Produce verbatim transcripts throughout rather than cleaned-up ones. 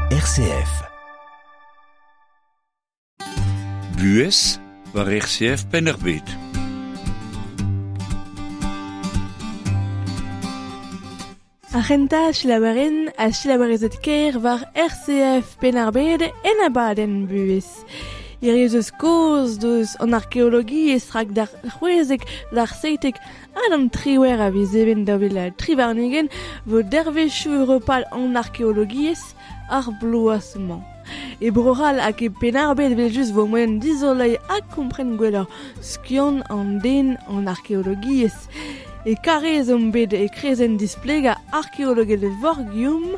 R C F. Buhez war R C F Penn-ar-Bed. Ar c'hentañ selaouerien ha selaouerezed ker war R C F Penn-ar-Bed en abadenn buhez. Hiriv eus kozh deus an arkeologiezh rak d'ar c'hwezek, d'ar seitek ha d'an triwec'h a viz even daou vil tri warn-ugent vo dervezhioù europal an arkeologiezh ar bloaz-mañ. E Bro-C'hall hag e Penn-ar-Bed evel-just vo moaien dizoleiñ ha kompren gwelloc'h skiant an den an arkeologiezh. E Karaez omp bet e krezenn displegañ arkeologel Vorgium,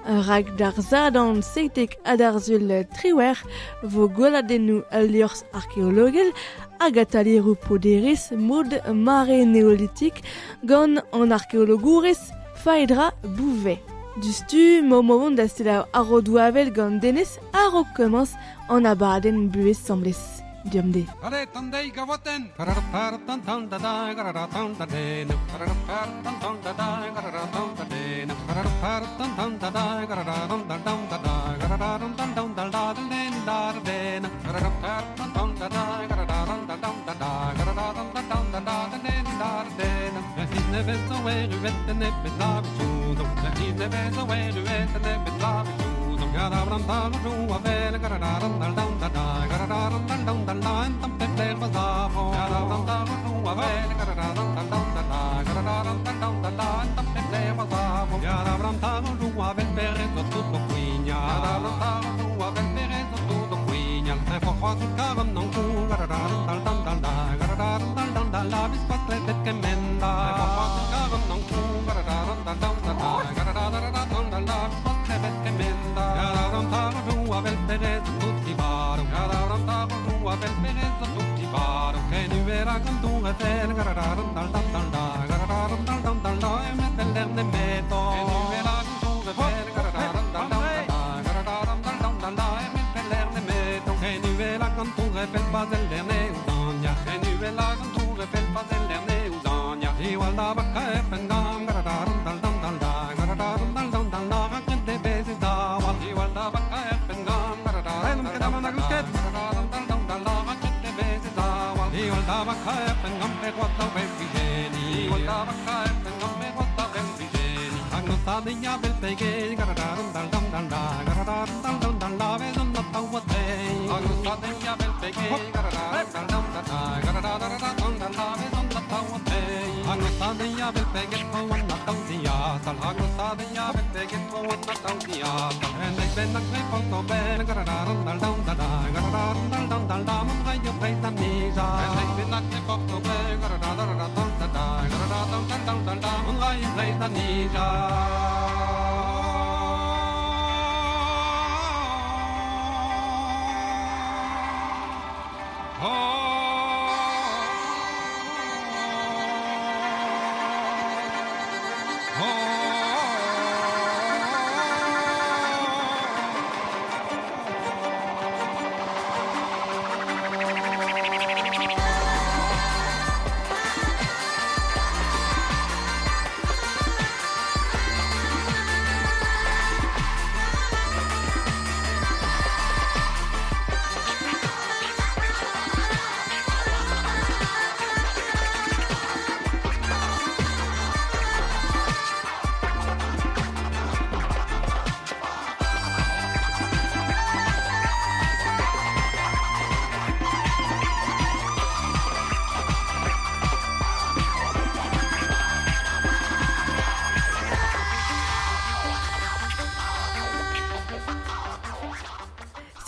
rak d'ar Sadorn seitek ha d'ar Sul triwec'h vo gweladennoù al liorzh arkeologel hag atalieroù poderezh mod mare neolitik gant an arkeologourez Faedra Bouvet. Dustu, ma vont da selaou ar rodoù avel gant Denez a-raok komañs an abadenn buhez samblez. Diom de.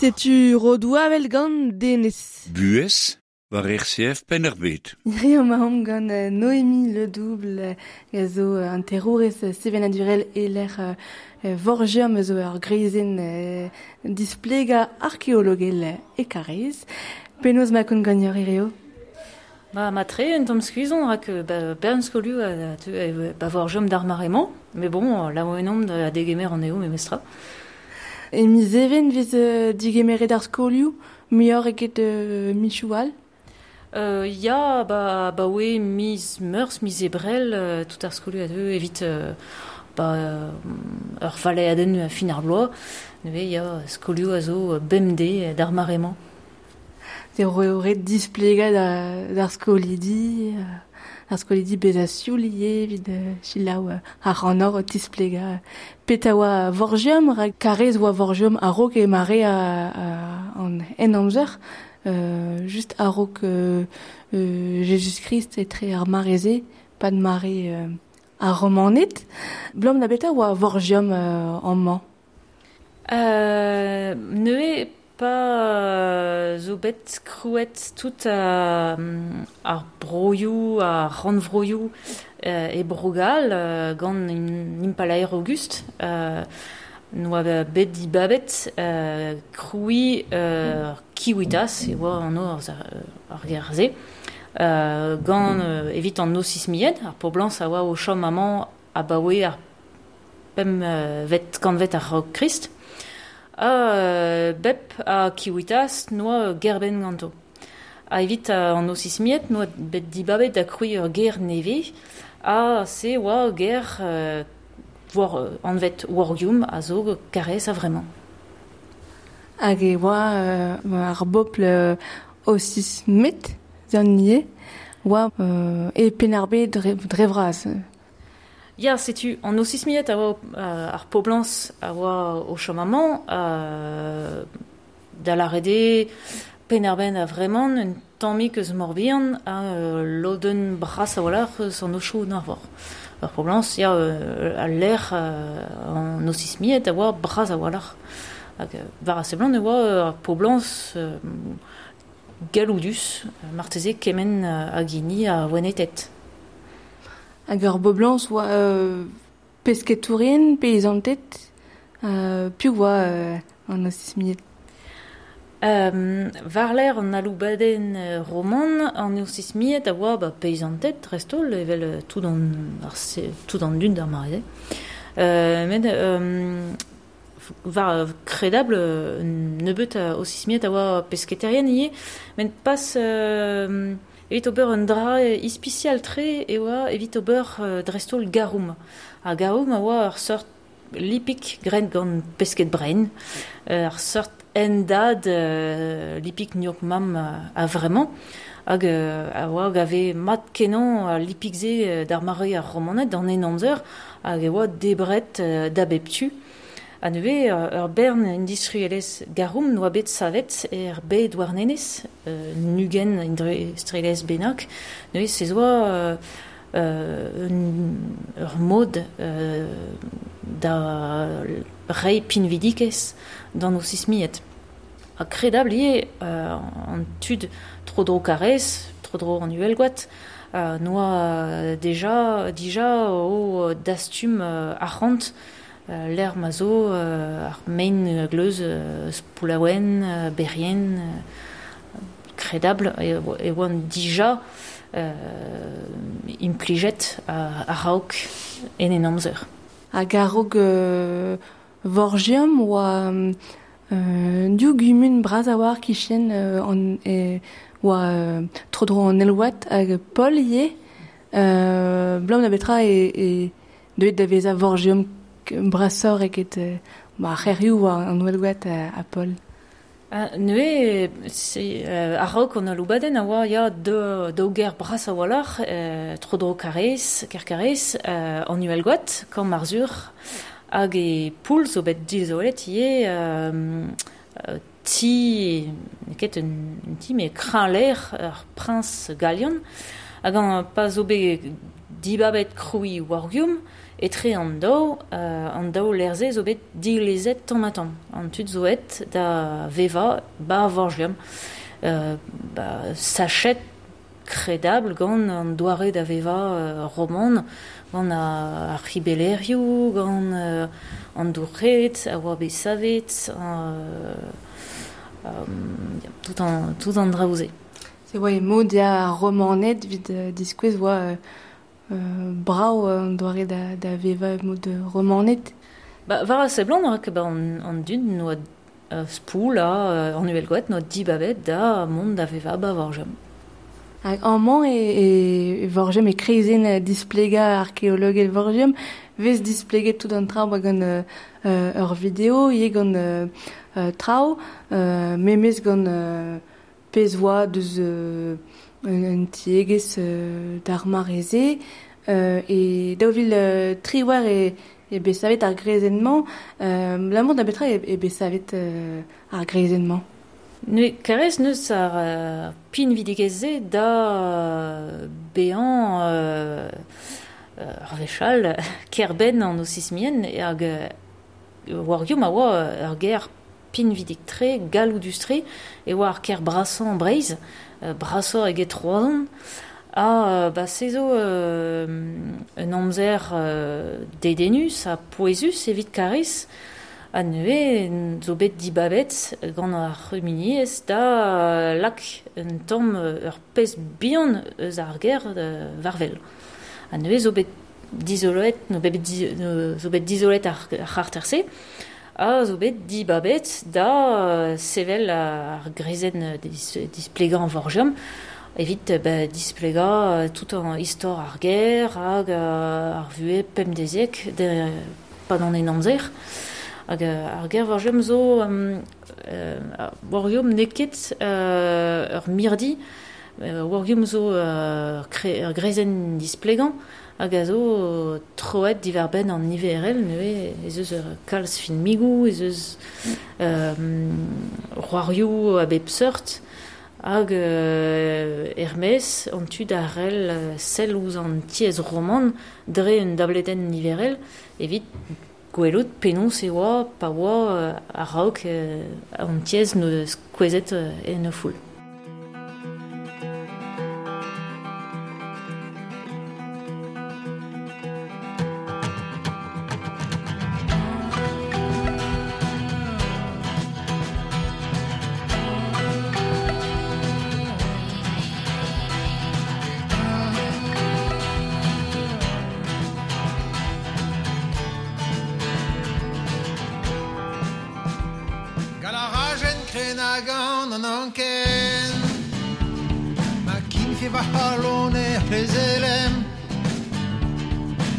Setu rodoù avel gant Denez. Buhez war R C F Penn-ar-Bed. Hiriv emaomp gant Noémie Le Double a zo an terourez sevenadurel e-lec'h Vorgium zo ur greizenn displegañ arkeologel e Karaez. Penaos ma kont ganeoc'h hiriv? Ba, ma tre un tamm skuizon rak ba, bern skolioù a, ba Vorgium d'ar mare-mañ, mais bon, laouenomp da degemer an eo memestra. E miz even vez euh, digemeret ar skolioù, muioc'h eget euh, michoù all? Euh, ya, ba, ba oe miz meurzh, miz ebrel, euh, tout ar skolioù a deu evit euh, ba ur valeadenn fin ar bloaz, neuze ya skolioù a zo bemdez d'ar mare-mañ. Se eo ret displegañ d'ar skolidi, ar skolidi bezañ sioul ivez evit selaou ar c'hannor o tisplegañ petra oa Vorgium, rak karrez oa Vorgium a-raok e mare an en amzer, euh, just a-raok euh, euh, Jezuz-Krist etre ar mare-se, pad mare euh, ar Romaned. Blom da beta oa Vorgium euh, amañ? Euh, neuze pa zo bet krouet tout euh, ar broioù, ar rannvroioù euh, e Bro-Gall euh, gant impalaer Auguste, euh, noa bet dibabet euh, krouiñ euh, Kiwitas, e oa an ar, ar ger-se, euh, gant euh, evit an osismied, ar poblañs a oa o chom amañ abaoe ar pemp euh, vet kantvet ar raok Krist, ha euh, bep a Kiwitas noa gerben ganto. Ha evit an osismied noa bet dibabet da krouiñ ur ger nevez, ha se oa ger euh, war, anvet Wargium a zo karrez a vremañ. Hag e oa euh, ar bobl euh, osismet zan ivez, oa euh, e Penn-ar-Bed dre, dre vras. Ya, setu, an osismied a oa euh, ar poblañs a oa o chom amañ, euh, da lâret eo Penn-ar-Bed a vremañ un tammig eus Morbihan ha euh, lodenn bras a-walc'h eus an Aotrou Narvor. Ar poblañs, ya, euh, al lec'h euh, an osismied a oa bras a-walc'h. Hag war a seblant e oa ar poblañs euh, galloudus, marteze kement hag hini a Weneted. Hag ur boblañs oa euh, pesketourien, peizanted, euh, piv oa euh, an osismied? Euh, war-lerc'h an aloubadenn roman, an osismied a oa ba, peizanted, dreist-holl, evel tout an, ar, tout an dud d'ar mare-se. Euh, met euh, war kredabl nebeut a osismied a oa pesketerien ivez, met pas euh, evit ober un dra ispisial-tre e oa evit ober euh, dreist-holl garum. Ar garum a oa ur seurt lipig graet gant pesked brein, ur seurt endad euh, lipig gnoc'h mamm a vremañ, hag euh, a oa gave mat kenañ a lipig-se d'ar mare ar Romaned d'an en amzer, hag e oa debret euh, da bep tu. Ha neuze ur bern industrielezh garum noa bet savet er bed warnenez, euh, nugen industrielezh bennak, neuze se zo euh, euh, ur mod euh, da reiñ pinvidikez d'an osismied. Ha kredabl ivez euh, an tud tro-dro karrez, tro-dro an Uhelgoad, euh, noa deja, dija o dastum euh, arc'hant euh, l'air ma zo euh, ar mein gleuz euh, Spoulaouen, euh, Berrien, euh, kredabl e, e oan dija euh, implijet a-raok en en amzer. Hag a-raok euh, Vorgium oa euh, div gumun bras a-walc'h kichen euh, an, e, oa euh, tro-dro an Elwat hag Pol ivez, euh, blam da betra e, e deuet da vezañ Vorgium brasoc'h eget euh, ba, c'hêrioù oa an Uhelgoad a, a Pol. Uh, neuze, se, euh, a-raok an aloubadenn a oa ya daou, daou ger bras a-walc'h, euh, tro-dro Karrez, Kerkarrez, euh, an Uhelgoad, Kamp Arzhur, hag e Poull zo bet dizolet ivez euh, ti, n'eo ket un, un ti, met kreñvlec'h ar priñs Galian, hag an pa zo bet dibabet krouiñ Wargium, etre an daou, euh, an daou lec'h-se zo bet dilezet tamm-ha-tamm. An tud zo aet da vevañ ba Vorgium. Euh, ba, sachet kredabl gant an doare da vevañ euh, roman, gant ar c'hibelerioù, gant euh, an dour-red, a oa bet savet, euh, euh, tout an, tout an draoù-se. Se oa e mod ya ar Romaned evit euh, diskouez oa euh, euh, brav an doare da, da vevañ mod Romaned. Ba, war a seblant rak ba an, an dud noa euh, Spoul ha euh, an Uhelgoad noa dibabet da mont da vevañ ba Vorgium. Hag amañ e, e, e Vorgium e kreizenn displegañ arkeologel Vorgium, vez displeget tout an traoù gant euh, ur video, ivez gant euh, traoù, euh, memez gant euh, pezh oa deus euh, un, un tiegezh euh, d'ar mare-se, euh, e daou vil euh, triwec'h e, e bet savet ar greizenn-mañ, euh, l'amont da betra e, e bet savet euh, ar greizenn-mañ. Ne karez neus ar uh, pinvidigezh-se da uh, bezañ uh, ur wechall kerbenn an osismien hag uh, Vorgium a oa ur ger pinvidik-tre, galloudus-tre, e oa ar ker brasañ Breizh, uh, brasoc'h eget Roazhon, ha uh, ba se zo uh, un amzer uh, dedennus ha pouezus evit Kariz, ha neuze zo bet dibabet gant ar c'humuniezh da lak un tamm ur pezh bihan eus ar ger war wel. Ha neuze zo bet dizoloet, no bet di, no, zo bet dizolet ar, ar c'harter-se, ha zo bet dibabet da sevel ar greizenn dis, displegañ Vorgium, evit ba, displegañ tout an istor ar ger hag ar vuhez pemdeziek de, pad an en amzer. Hag ar ger Vorgium zo um, euh, Vorgium n'eo ket euh, ur mirdi, euh, Vorgium zo euh, kre, ur greizenn displegañ hag a zo troet diwar-benn an niverel, neuze ez eus ur kalz filmigoù, ez eus euh, c'hoarioù a bep seurt, hag euh, er-maez an tu da rel sell ouzh an tiez roman dre un dabledenn niverel evit gwelout penaos e oa pa oa a-raok an tiez no kouezhet en o foul. An anken Ma kinfe va c'halon er plezelem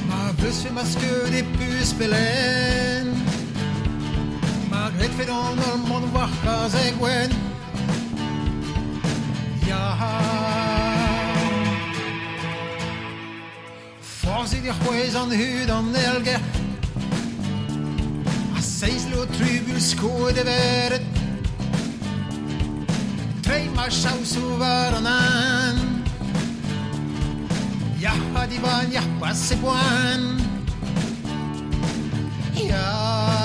Ma veus fe ma skeud e pus pelen Ma gret fe d'an ol mont war kazeg gwen Ya Forzit e c'hwez an hud an elger A seiz lo trubul skoet e veret Trei ma chaousou war an an Ya ha diban, ya pas e poan Ya Ah.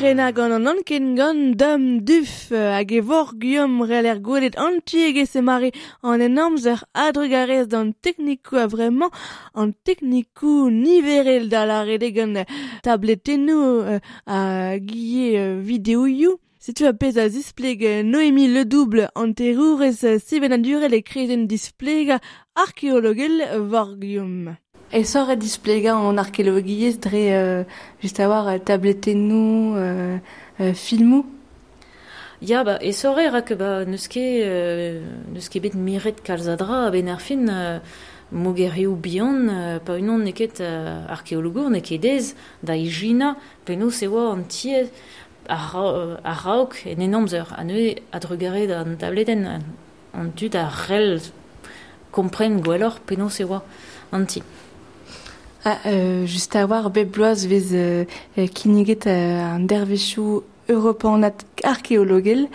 Krena gant an anken gant dam duf hag e vor guillaume reler gwelet an tiegez e mare an en amzer adrugarez d'an teknikou a vraiment an teknikou niverel da la rede gant tabletennou a guille videoioù. Setu a pez a zispleg Noémie Ledouble an terourez sevenadurel e krezenn displega arkeologel vor Guillaume. E sort displega an arkeologiezh dre euh, just a war tabletennou, euh, euh, filmou. Ya, ba, e sort rak ba, neus ket, euh, neus ket bet miret kalz a dra a ben ar fin euh, mogerioù bihan, euh, pa unan n'eo ket euh, arkeologour, n'eo ket dez da ijina penaos e oa an tiez ar, ar raok en en amzer. A neuze adrugaret an tabletenn an, an dud a rel kompren gwelloc'h penaos e oa an ti. Ah, euh, just a war bep bloaz vez euh, kinniget euh, an dervezhioù europanat arkeologel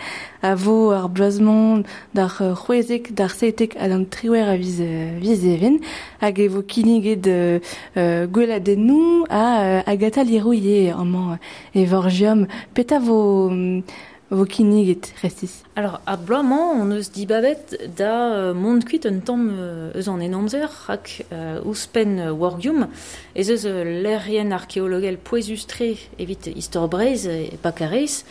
a vo ar bloazmont d'ar c'hwezek, d'ar seitek hag an triwer a viz, viz even hag e vo kinniget euh, gweladennoù a euh, Agatha Leroux amañ e vorgium. Peta vo vo kinniget restis. Alors, a bloaz-mañ, on eus dibabet da euh, mont kuit un tamm euh, eus an en amzer rak euh, ouzhpenn euh, Wargium ez eus euh, lec'hienn arkeologel pouezus-tre evit istor Breizh e Pakarez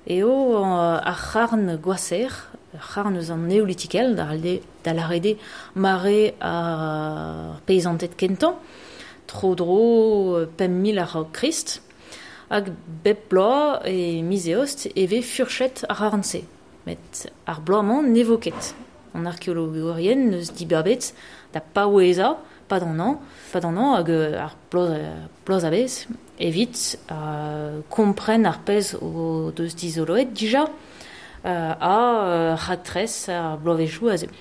eo euh, ar c'harn gwaser, c'harn eus an neolitikel, da da l'arede mare ar peizanted kentañ, tro dro pemp mil ar Krist, hag bep bloaz e miz eost e vez furchet ar c'harn-se. Met ar bloaz-mañ ne vo ket. An arkeologourien neus dibabet da paoueza, pa d'an an, pa d'an an hag ar bloaz, bloaz a bez, evit euh, kompren ar pezh o deus dizoloet dija euh, a euh, raktres ar bloavezhioù a zeu.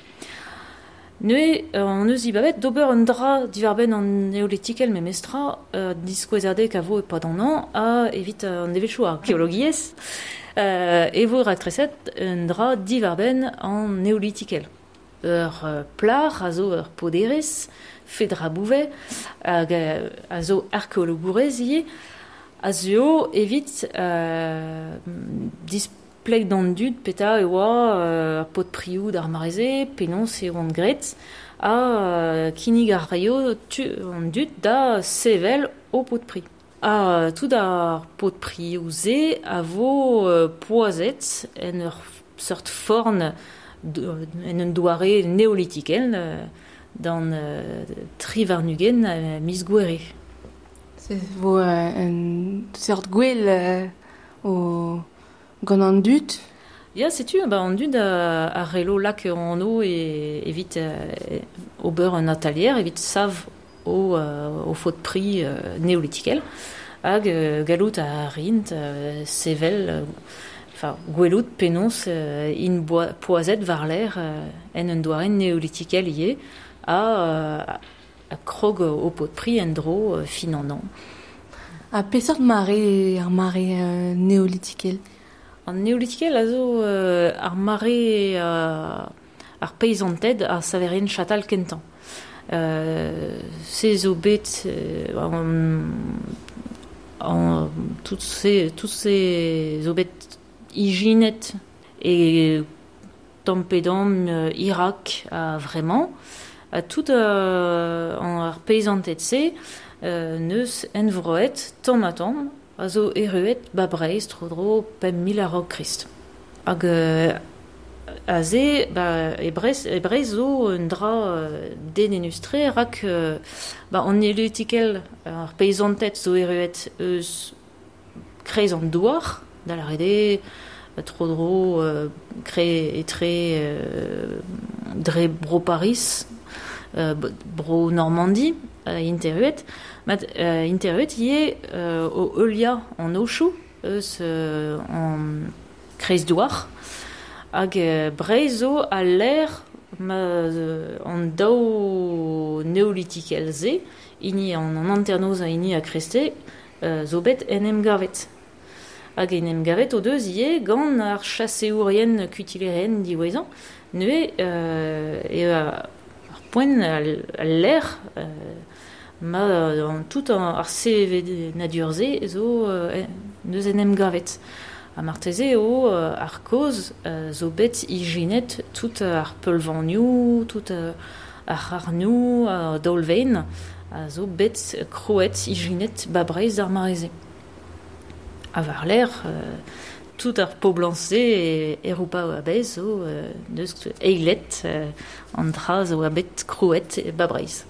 Neuze, an eus dibabet d'ober un dra divarbenn an neolitikel memestra euh, diskouezadek a vo e pa d'an an a evit an devezhioù arkeologiezh euh, e vo raktreset un dra divarbenn an neolitikel. Ur plar a zo ur poderez, Fedra Bouvet, hag a zo arkeologourez ivez, a zo evit euh, displeg d'an dud peta e oa euh, pot prioù d'ar mareze, penaos e oant graet, a euh, kinnig ar raio tu an dud da sevel o pot pri. A tout ar pot prioù ze a vo euh, poazet en ur seurt forn en un doare neolitikel euh, d'an euh, tri warn-ugent euh, miz gouere. Se vo euh, un seurt gwell euh, o gant an dud. Ya, setu, ba, an dud a, a relo lak an o e, evit euh, ober un atalier, evit sav o, euh, o faot pri euh, neolitikel, hag euh, galout a rint euh, sevel, euh, enfin, gwelout penaos euh, in boa, poazet war l'air euh, en un doare neolitikel ivez, a, euh, a krog o pot pri en dro euh, fin an an. A peseurt mare ar mare euh, neolitikel? An neolitikel a zo euh, ar mare euh, ar peizanted a saverien chatal kentañ. Euh, se zo bet euh, an, an, tout se, tout se zo bet ijinet e tamm-pe-damm euh, Irak a vraiment a tout euh, an ar peizanted se euh, neus envroet tamm ha tamm a zo erruet ba Breizh tro-dro pemp mil a-raok Krist. Hag euh, a ze, ba, e Breizh, e Breizh zo un dra euh, dedennus-tre rak euh, ba, an neolitikel ar peizanted zo erruet eus kreiz an douar, da la rede, tro-dro euh, kre etre euh, dre bro Paris, euh, bro Normandie, euh, interruet, mat euh, interruet ivez euh, o heuliañ an ochoù eus euh, an kreiz douar, hag euh, Breizh zo a l'air ma euh, an daou neolitikel se, hini an, an hanternoz ha hini a kreste, euh, zo bet en em gavet. Hag en em gavet o deus ivez gant ar chaseourien kutilerien diwezhañ, neuze euh, e ar poent al, al l'air euh, ma an tout an, ar sevenadur-se zo euh, neus en em gavet. Ha marteze eo euh, ar koz euh, zo bet ijinet tout ar peulvanioù, tout euh, ar c'harnioù, ar daolvein, a zo bet krouet ijinet ba Breizh ar mareze. A war l'air, euh, tout ar poblañse e Europa a bez zo euh, neus eilet euh, an dra zo a bet krouet e ba Breizh.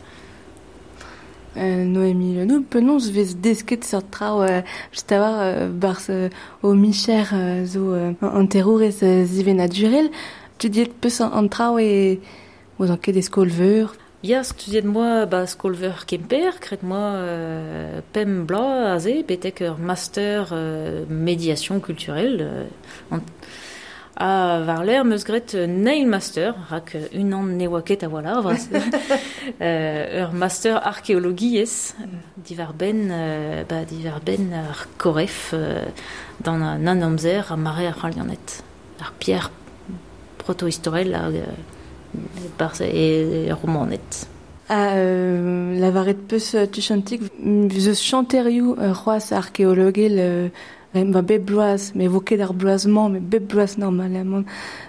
Euh, Noémie Lenou, penaos vez desket seurt traoù euh, just a war euh, barz euh, o micher euh, zo euh, an terourez euh, zivenadurel. Studiet peus an, an traoù e oz an ket e skol-veur. Ya, studiet moi ba skol-veur Kemper, kret moi euh, pemp bloaz aze, betek ur master euh, médiation culturelle. Euh, an, a war l'air meus gret neil master, rak un an ne oa ket a oa vras. euh, ur master archéologiezh, divar ben, euh, ba divar ben ar koref euh, dan an an amzer a mare ar c'halianet. Ar pierre protohistorel hag euh, barz e romanet. A euh, lavaret peus tuchantik, zeus chanterioù euh, c'hoazh archéologel euh, ba bep bloaz, mais vo ket ar bloaz-mañ, mais bep bloaz normalement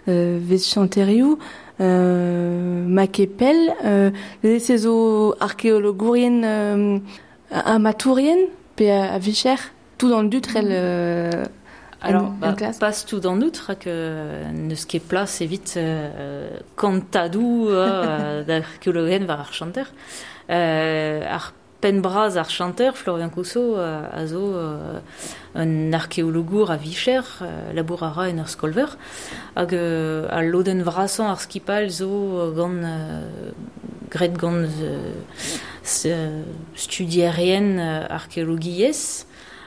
euh, vez chanterioù, euh, ma kepel, euh, se zo archéologourien euh, amatourien, pe a, a vicher, tout an dut rel euh, Alors, en, bah, en classe. Pas tout an dut, rak euh, neus ket plas evit euh, kantadou euh, d'archéologen war ar chanter. Euh, ar penn-bras ar chanter, Florian Cousseau, euh, a zo euh, un archéologour a vicher, euh, labour a ra en ur skolver, hag euh, a lodenn vrasañ ar skipal zo gant euh, gret gant euh, studierien euh, archéologiezh,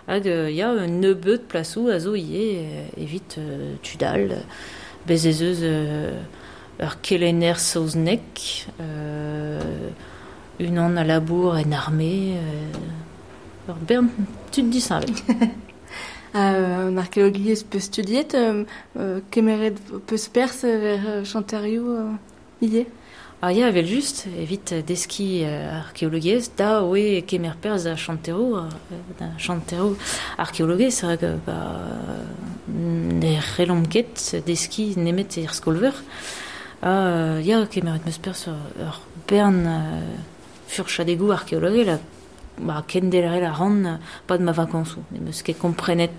hag euh, ya un nebeud plasou a zo ivez euh, evit euh, tudal, bez ez eus euh, ur kelenner saoznek, euh, unan a labour en armée, euh, ur bern tud disheñvel. Euh, an archéologiezh peus studiet, euh, euh, kemeret peus pers ver euh, chanterioù euh, ivez? Ah ya, evel just, evit deski euh, archéologiezh, da oe kemer perzh da chanterou, euh, da chanterou archéologiezh, rak ba, ne c'hellomp ket deski nemet er skolveur. Ah, ya, kemeret meus perzh ur bern euh, furchadegou archéologel, ba, kendelrel a ran pad ma vakañsoù. Ne meus ket komprenet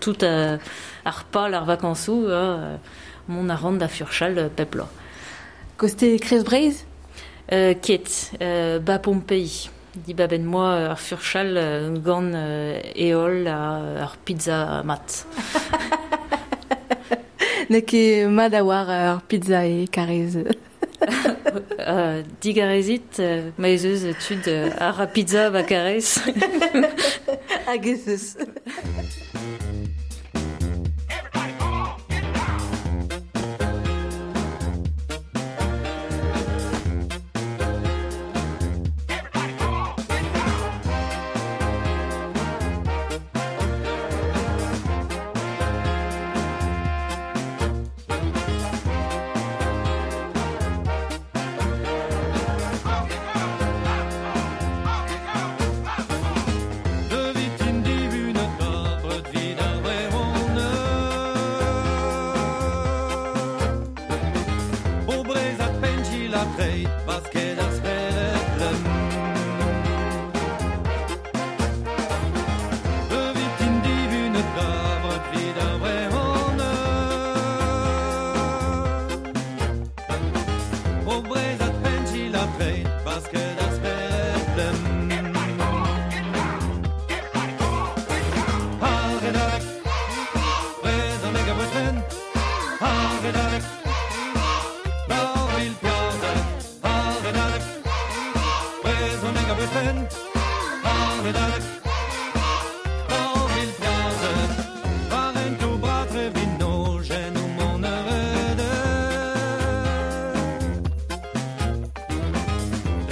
tout euh, ar pal ar vakañsoù, euh, mont a ran da furchal pep bloaz. Koste Krez Breizh? Euh, ket, euh, ba Pompei. Di ba ben moi ar furchal euh, gant euh, eol a, ar pizza mat. Ne ket mat a war ar pizza e karez. euh, digarezit, euh, ma ez eus tud euh, ar a pizza ba karez. Hag ez eus.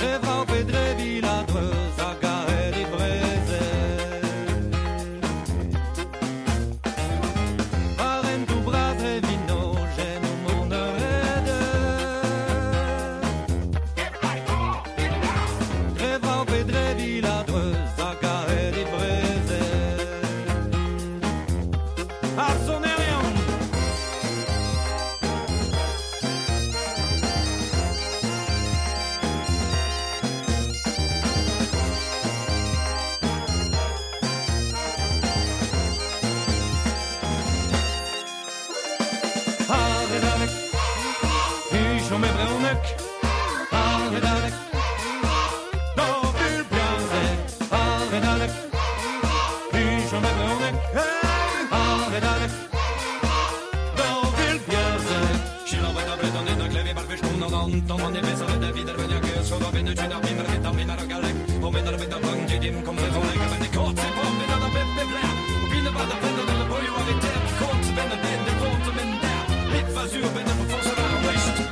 Rêve Redalek, daou vil piarzek, ar redalek, Bichon e brezhoneg, ar redalek, daou vil piarzek. Selaouet ar brezhoneg a gleve bar wech gant an tamm an nevez ar da vid ar veniag eus chod ar benn ar bim ar bet ar min ar galleg, o men ar bet ar bang dim kom brezhoneg a benn e kort se pom ben ar bep bep lec'h, o pin ar bad ar penn ar boioù ar eter, kort ben ar den de kort men der, bep vazur ben ar force ar west.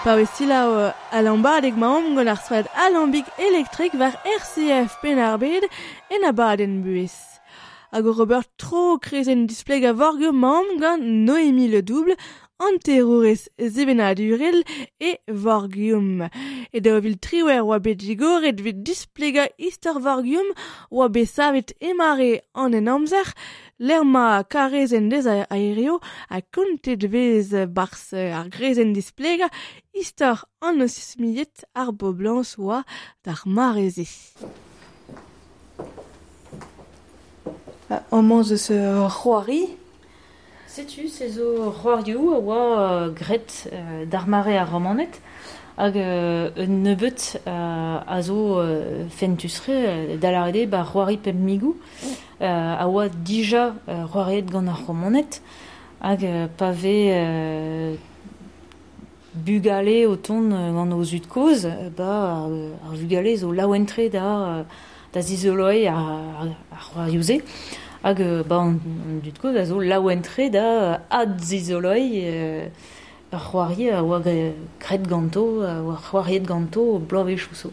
Pa wesila uh, alambadeg maom gant ar strollad Alambig Elektrik war R C F Penn-ar-Bed en abadenn buhez. Hag o Robert tro krezenn displeg a vorgio maom gant Noémie Le Double, anterourez sevenadurel e Vorgium. E daou vil triwec'h oa bet digoret evit displegañ istor Vorgium oa bet savet emare an en amzer, lec'h ma karezenn dez a aereo ha kontet vez barzh ar grezenn displegañ istor an osismiet ar boblañs oa d'ar mare-se. Amañ eus c'hoari. Setu, se zo c'hoarioù a oa graet euh, d'ar mare ar romanet hag euh, un nebeut euh, a zo euh, fentusre euh, da lâret eo ba c'hoari pemp migou euh, a oa dija euh, c'hoariet gant ar romanet hag euh, pa vez euh, bugale o tont gant o zud kozh ba ar, ar vugale zo laouen-tre da da zizoloiñ ar, ar c'hoarioù-se. Hag ba an, an dud kozh a zo laouen-tre da adzizoloiñ euh, ar c'hoari a oa graet ganto, a oa c'hoariet ganto bloavezhioù zo.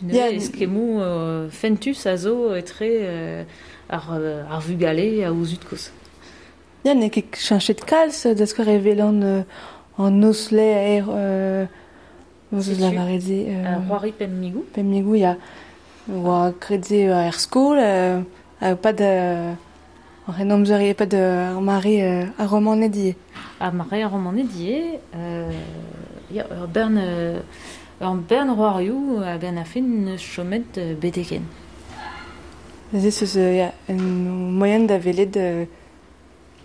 Neuze eskemmoù euh, fentus a zo etre euh, ar, ar vugale a o zud kozh. Ya, n'eo ket cheñchet kalz da skouer evel an, euh, an osle er euh, eus lavaret se. Euh, c'hoari pemp migou. Pemp migou, ya. Oa graet se er skol, euh, Uh, pas de en amzer eo pas de ar mare euh, ar romaned ivez. Ar mare ar romaned ivez, euh, ya, ur bern, euh, ur bern c'hoarioù a benn ar fin neus chomet euh, beteken. Neuze zeus euh, ya, un moyen da welet euh,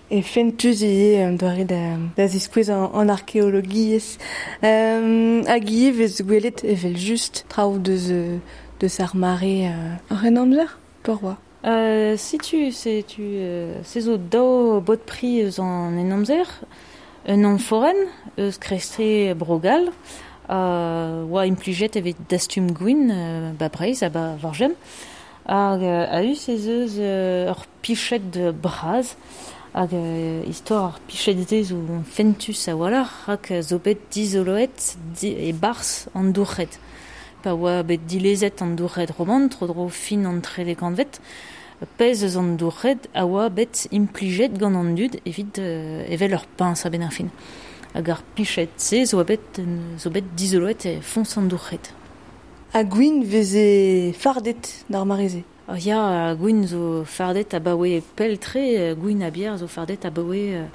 e fentus ivez an doare da, da ziskouez an, an arkeologiezh. Euh, hag ivez vez gwelet evel just traoù deus, deus ar mare euh, ar en amzer, peurvoa. Euh, setu, setu, euh, se zo daou bot pri eus an en amzer, un amforenn eus krestre Brogal, euh, oa implijet evit dastum gwin euh, ba Breizh ha ba Vorgem, hag euh, a-us ez eus euh, ur piched braz, hag euh, istor ar piched-se zo fentus a-walc'h, rak zo bet dizoloet di, e barzh an dourc'hed. Pa oa bet dilezet an dourc'hed roman, tro-dro fin an trede kantved, pezh eus an dourc'hed a oa bet implijet gant an dud evit euh, evel ur piñs a-benn ar fin. Hag ar piched-se zo bet, zo bet dizoloet e foñs an dourc'hed. Ha gwin veze fardet d'ar mare-se? Oh, ya, gwin zo fardet abaoe pell-tre, gwin a bier zo fardet abaoe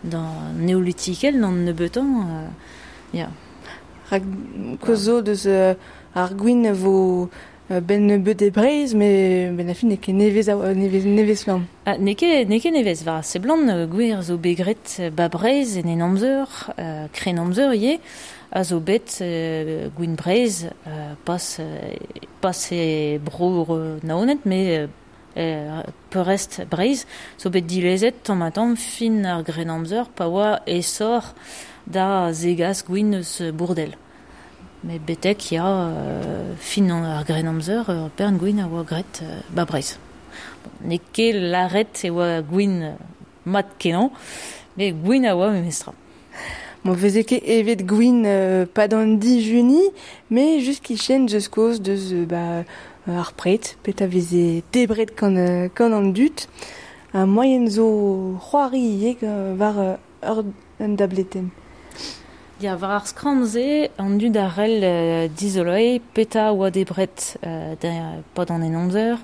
d'an neolitikel, d'an nebeutan, euh, ya. Rak koz zo deus euh, ar gwin vo euh, ben nebeut e Breizh, me ben a fin n'eo ket nevez, a, nevez, nevez flamm. Ah, n'eo ket, n'eo ket nevez, war seblant, gwir zo bet graet ba Breizh en en amzer, euh, kren amzer ivez, a zo bet euh, gwin Breizh, euh, pas, euh, pas e bro Naoned, mais euh, peurrest Breizh, zo bet dilezet tamm ha tamm fin ar gren amzer, pa oa esor da zegas gwin eus Bourdel. Mais betek ya euh, fin ar gren amzer, ur bern gwin a oa graet euh, ba Breizh. Bon, n'eo ket lâret e oa gwin mat kenañ, Me gwin a oa memestra. Bon, veze ket evet gwin euh, pa d'an dijuni, me just kichen deus koz deus euh, ba, ar pret, pet a veze debret gant, euh, gant an dud, a moyen zo c'hoari ivez war euh, ur un dableten. Ya, war ar skramm-se, an dud a rell euh, dizoloi, peta oa debret euh, da, pa d'an en amzer,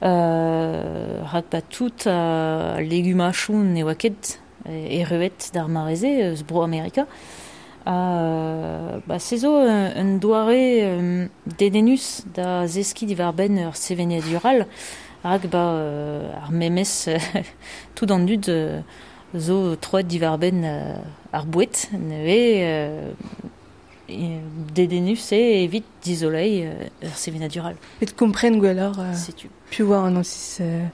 euh, rak ba tout a legumachoù ne oa ket erruet d'ar mareze eus bro Amerika. Uh, ba, se zo un, un doare um, dedennus da zeski diwar benn ur sevenadural, rak ba euh, ar memes tout an dud euh, zo troet diwar benn euh, ar boued, neuze euh, dedennus eo evit dizolei euh, ur sevenadural. Et kompren gwelloc'h euh, Setu. Piv oa an osis... Euh...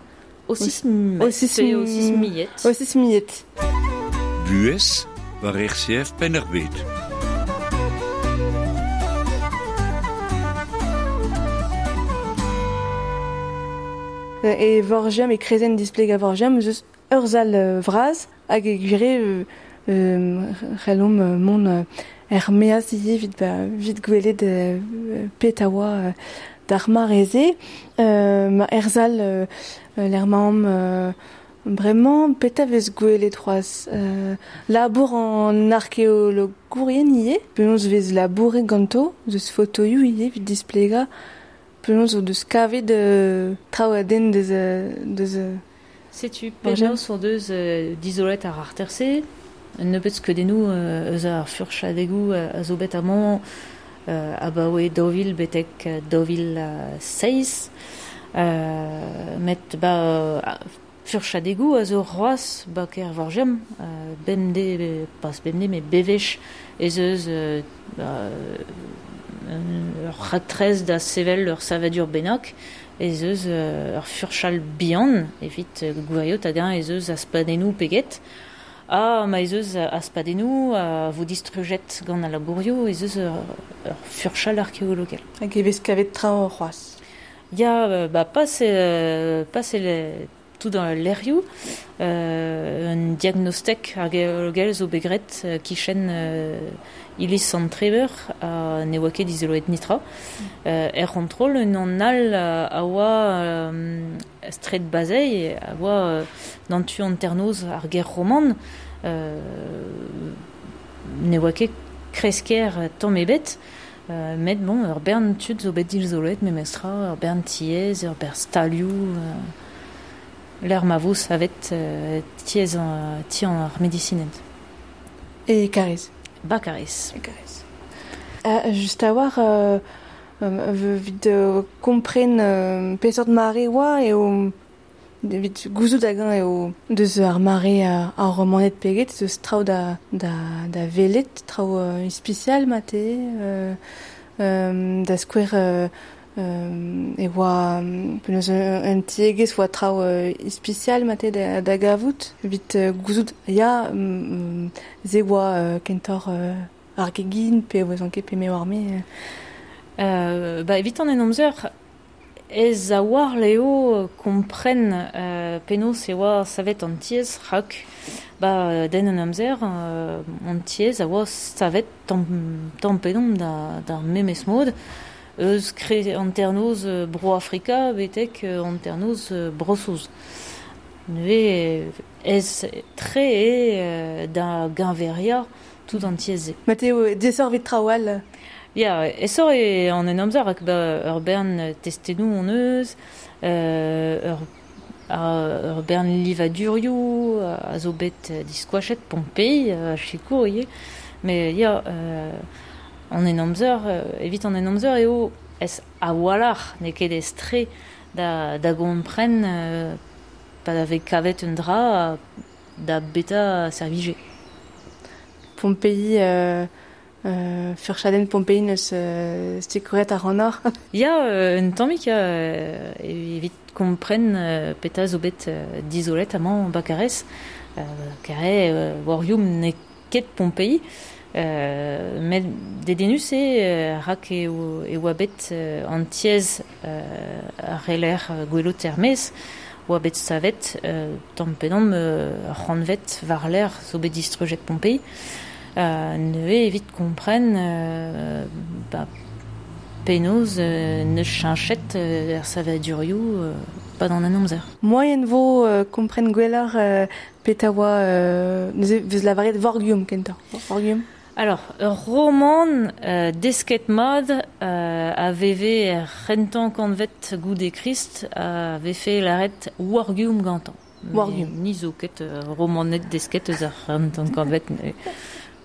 Osis Osis osis millet. Osis millet. Buhez war R C F Penn-ar-Bed. E vorgiam e krezen displeg a vorgiam eus ur zal vraz hag e gwire euh, euh, c'hellomp mont euh, er meaz ivez vit, ba, vit gwelet euh, pet a oa euh, d'ar mareze. Euh, ma er zal euh, l'er mamm euh, bremañ pet a vez gwelet c'hoazh. Euh, labour an arkeologourien ivez, penaos vez labouret ganto, deus fotoioù ivez vit displegañ, penaos o deus kavet euh, traoù a den deus, deus Setu penaos o deus euh, dizolet ar arterse, un nebeud skeudennoù euh, eus ar furchadegoù a zo bet amañ euh, abaoe daou vil betek daou vil seizh. Euh, met ba furchadegoù a zo c'hoazh ba ker vorgiam, euh, bemdez, pas bemdez, met bevech ez eus euh, ba, ur raktres da sevel ur savadur bennak, ez eus euh, ur furchal bihan, evit gwiriot hag-eñ ez eus aspadennoù peget, ha ma ez eus aspadennoù a vo distrujet gant al labourioù, ez eus ur, ur furchal arkeologel. Hag e vez kavet traoù c'hoazh. Ya, ba, pas, euh, pas le, tout dans l'airioù, euh, un diagnostic arkeologel zo bet graet euh, kichen euh, iliz Sant Treveur a ne oa ket dizoloet nitra. Mm. Euh, er c'hontrol, un an all a oa euh, stret bazei, a oa euh, d'an tu an ternoz ar ger roman, euh, ne oa ket kresker tamm ebet, euh, met bon, ur bern tud zo bet dizoloet memestra, ur bern tiez, ur bern stalioù, euh, l'er ma vo savet euh, tiez an, ti an ar medisinent. E Kariz. Ba Kariz. E Kariz. Uh, just a war, euh, euh, vit euh, kompren euh, peseurt mare oa eo evit gouzout hag-eñ eo deus ar mare uh, ar romaned peget, deus traoù da, da, da velet, traoù euh, ispisial mate, euh, euh, da skouer euh, euh, e oa penaos un tiegezh oa traoù euh, ispisial mate da, da gavout, evit euh, gouzout ya mm, ze oa euh, kentoc'h euh, ar gegin pe oa ket pe me war me. Euh, ba, evit an en amzer, ez a war leo kompren euh, penaos e oa savet an tiez rak ba den an amzer euh, an tiez a oa savet tamm, tamm pedomp da, d'ar memes mod eus kre an ternoz bro Afrika betek an ternoz Bro-Saoz. Neuze ez tre e da gañveria tout an tiez-se. Mateo, desor vit traoù. Ya, esor e an en amzer ak ba ur bern testennoù on eus, euh, ur, ur bern livadurioù a zo bet diskoachet Pompei, a chikour ivez. Mais ya, euh, an en amzer, evit an en amzer eo ez a-walc'h n'eo ket ez tre da, da gompren euh, pa da vez kavet un dra da beta servije. Pompei... Euh... Euh, furchadenn Pompei neus euh, stikouret ar anor. Ya, euh, un tammig euh, evit kompren euh, peta zo bet euh, dizolet amañ bakarez, euh, kare euh, warioum n'eo ket Pompei, euh, met dedennus eo euh, rak eo, e oa bet euh, an tiez euh, ar reler gwelot er-maez, oa bet savet, euh, tamm pedomp euh, c'hanvet war l'air zo bet distrujet Pompei. Euh, neuze evit kompren euh, ba, penaos euh, neus cheñchet euh, er savadurioù euh, pa d'an an amzer. Moyen vo euh, kompren gwelloc'h euh, peta oa euh, neuze vez lavaret Vorgium kentañ. Vorgium. Alors, ur roman euh, desket mad euh, a veve er c'hentañ kantved goude Krist a vefe lavaret Wargium gantañ. Wargium. Ni zo ket euh, romanet desket eus ar c'hentañ kantved.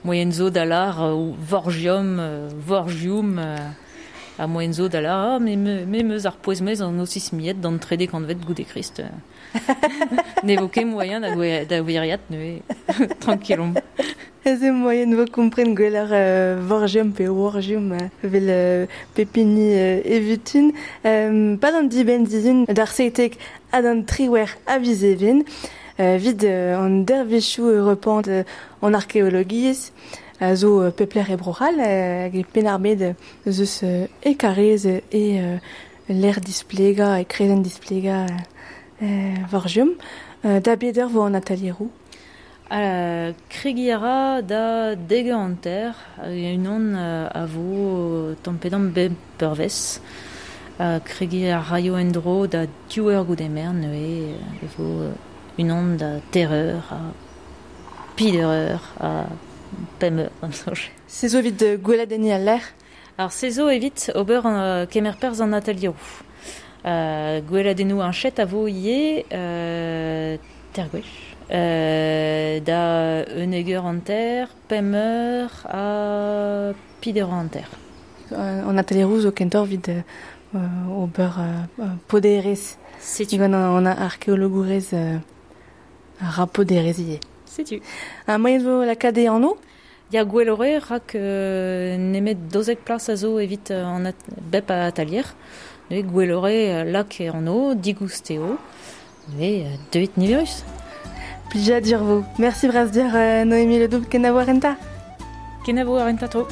Moyen zo da lar euh, Vorgium, euh, Vorgium, euh, a moyen zo da lar, ah, me, me, me meus ar pouez-mez an osismiet d'an trede kantved goude Krist. Ne vo ket moyen da, gwe, da wiriat, neuze tranquillomp. Ez eo moyen vo kompren gwelloc'h euh, Vorgium pe Wargium euh, vel euh, pepini euh, evutun. Euh, pa d'an dibenn dizun d'ar seitek ha d'an triwer a vizevin. Euh, vid euh, an dervezhioù europant euh, an arkeologiezh a zo euh, pepler e bro'hall euh, hag e penn-ar-bed zeus euh, e karez e euh, l'air displega e krezenn displega euh, Vorgium. Euh, da beder vo an atelieroù. Euh, kregi a ra da deg eur hanter, unan euh, a vo tamm pe damm bep peurvez. Euh, kregi a raio en-dro da div eur goude merenn, neuze e vo unan da teir eur, a peder eur, a pemp eur, an soñj. Se zo evit euh, gweladenniñ al lec'h? Alors, se zo evit ober an, kemer perzh an atelieroù. Euh, gweladennoù an chet a vo ivez, euh, teir gwech. Euh, da unnek eur hanter, pemp eur ha peder eur hanter. Euh, an atelieroù zo kentoc'h evit euh, ober euh, poderezh. Setu. Gant an arkeologourez euh, a ra poderezh ivez. Setu. Ha moyen vo lakaat e anv? Ya gwelloc'h eo rak euh, nemet daouzek plas a zo evit an at bep a atalier. Neuze gwelloc'h eo lak e anv, digoust eo, neuze deuit niverus. Plijadur vo. Merci bras dir, euh, Noémie Ledouble, kenavo ar renta. Kenavo ar renta tro.